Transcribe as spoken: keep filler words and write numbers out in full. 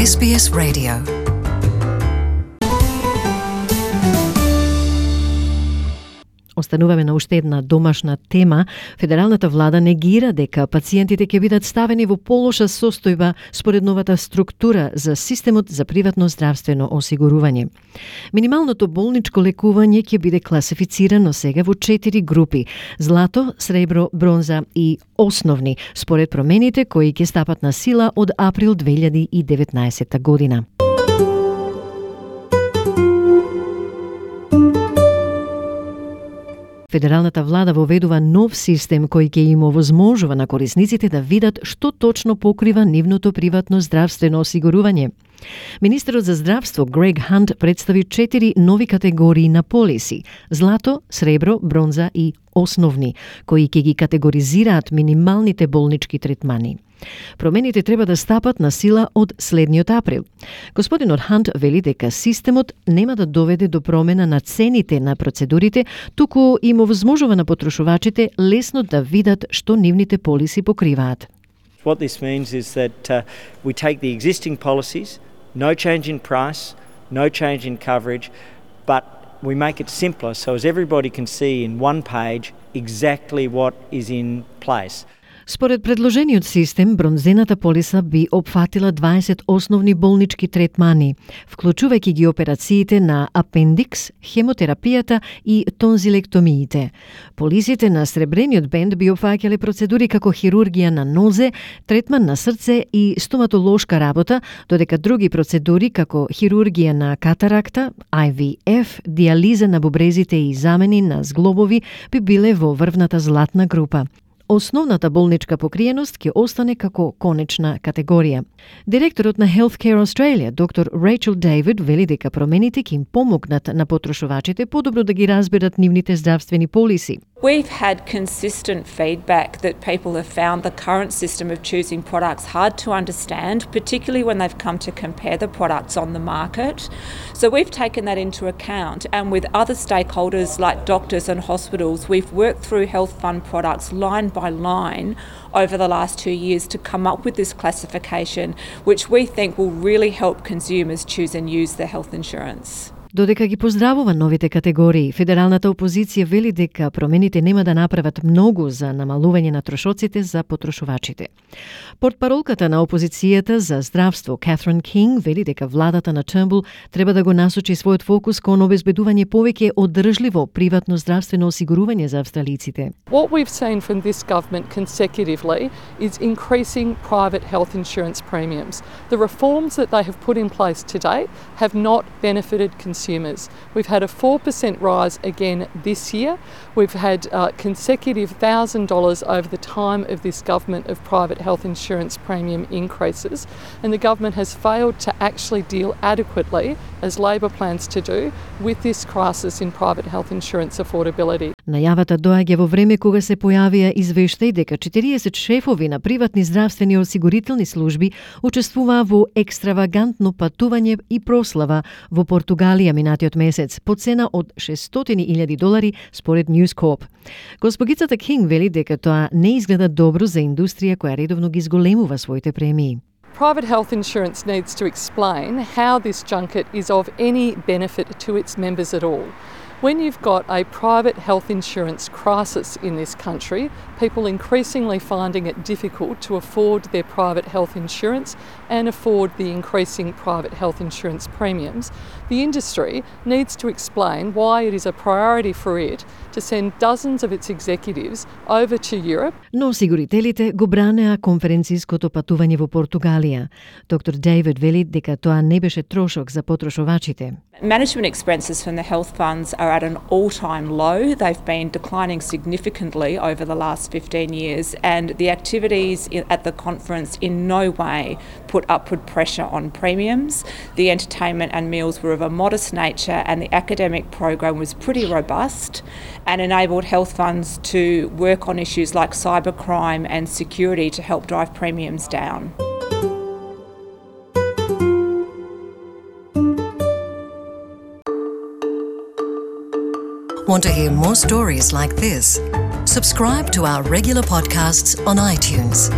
Ес Би Ес Radio. Остануваме на уште една домашна тема. Федералната влада негира дека пациентите ќе бидат ставени во полоша состојба според новата структура за системот за приватно здравствено осигурување. Минималното болничко лекување ќе биде класифицирано сега во четири групи: злато, сребро, бронза и основни, според промените кои ќе стапат на сила од април две илјади и деветнаесетта година. Федералната влада воведува нов систем кој ќе им овозможува на корисниците да видат што точно покрива нивното приватно здравствено осигурување. Министерот за здравство Грег Хант представи четири нови категории на полиси: злато, сребро, бронза и основни, кои ќе ги категоризираат минималните болнички третмани. Промените треба да стапат на сила од следниот април. Господинот Хант вели дека системот нема да доведе до промена на цените на процедурите, туку им овозможува на потрошувачите лесно да видат што нивните полиси покриваат. What this means is that uh, we take the existing policies, no change in price, no change in coverage, but we make it simpler so as everybody can see in one page exactly what is in place. Според предложениот систем, бронзената полиса би опфатила дваесет основни болнички третмани, вклучувајќи ги операциите на апендикс, хемотерапијата и тонзилектомиите. Полисите на сребрениот бенд би опфаќале процедури како хирургија на нозе, третман на срце и стоматолошка работа, додека други процедури како хирургија на катаракта, Ай Ви Еф, диализа на бубрезите и замени на зглобови би биле во врвната златна група. Основната болничка покриеност ќе остане како конечна категорија. Директорот на Healthcare Australia, доктор Рейчел Дейвид, вели дека промените ќе им помогнат на потрошувачите подобро да ги разберат нивните здравствени полиси. We've had consistent feedback that people have found the current system of choosing products hard to understand, particularly when they've come to compare the products on the market. So we've taken that into account, and with other stakeholders like doctors and hospitals, we've worked through health fund products line by line over the last two years to come up with this classification, which we think will really help consumers choose and use their health insurance. Додека ги поздравува новите категории, федералната опозиција вели дека промените нема да направат многу за намалување на трошоците за потрошувачите. Портпаролката на опозицијата за здравство Катрин Кинг вели дека владата на Turnbull треба да го насочи својот фокус кон обезбедување повеќе одржливо приватно здравствено осигурување за австралиците. What we've seen from this government consecutively is increasing private health insurance premiums. The reforms that they have put in place to date have not benefited consumers. Consumers. We've had a four percent rise again this year. We've had uh, consecutive one thousand dollars over the time of this government of private health insurance premium increases, and the government has failed to actually deal adequately, as Labor plans to do, with this crisis in private health insurance affordability. Најавата доаѓа во време кога се појавија извештаи дека четириесет шефови на приватни здравствени осигурителни служби учествуваа во екстравагантно патување и прослава во Португалија минатиот месец по цена од шестстотини илјади долари според News Corp. Госпогицата Кинг вели дека тоа не изгледа добро за индустрија која редовно ги зголемува своите премии. Private health insurance needs to explain how this junket is of any benefit to its members at all. When you've got a private health insurance crisis in this country, people increasingly finding it difficult to afford their private health insurance and afford the increasing private health insurance premiums, the industry needs to explain why it is a priority for it to send dozens of its executives over to Europe. Но осигурителите го бранеа конференциското патување во Португалија. Доктор Дейвид вели дека тоа не беше трошок за потрошувачите. Management expenses from the health funds are at an all-time low. They've been declining significantly over the last fifteen years, and the activities at the conference in no way put upward pressure on premiums. The entertainment and meals were of a modest nature, and the academic program was pretty robust and enabled health funds to work on issues like cybercrime and security to help drive premiums down. Want to hear more stories like this? Subscribe to our regular podcasts on iTunes.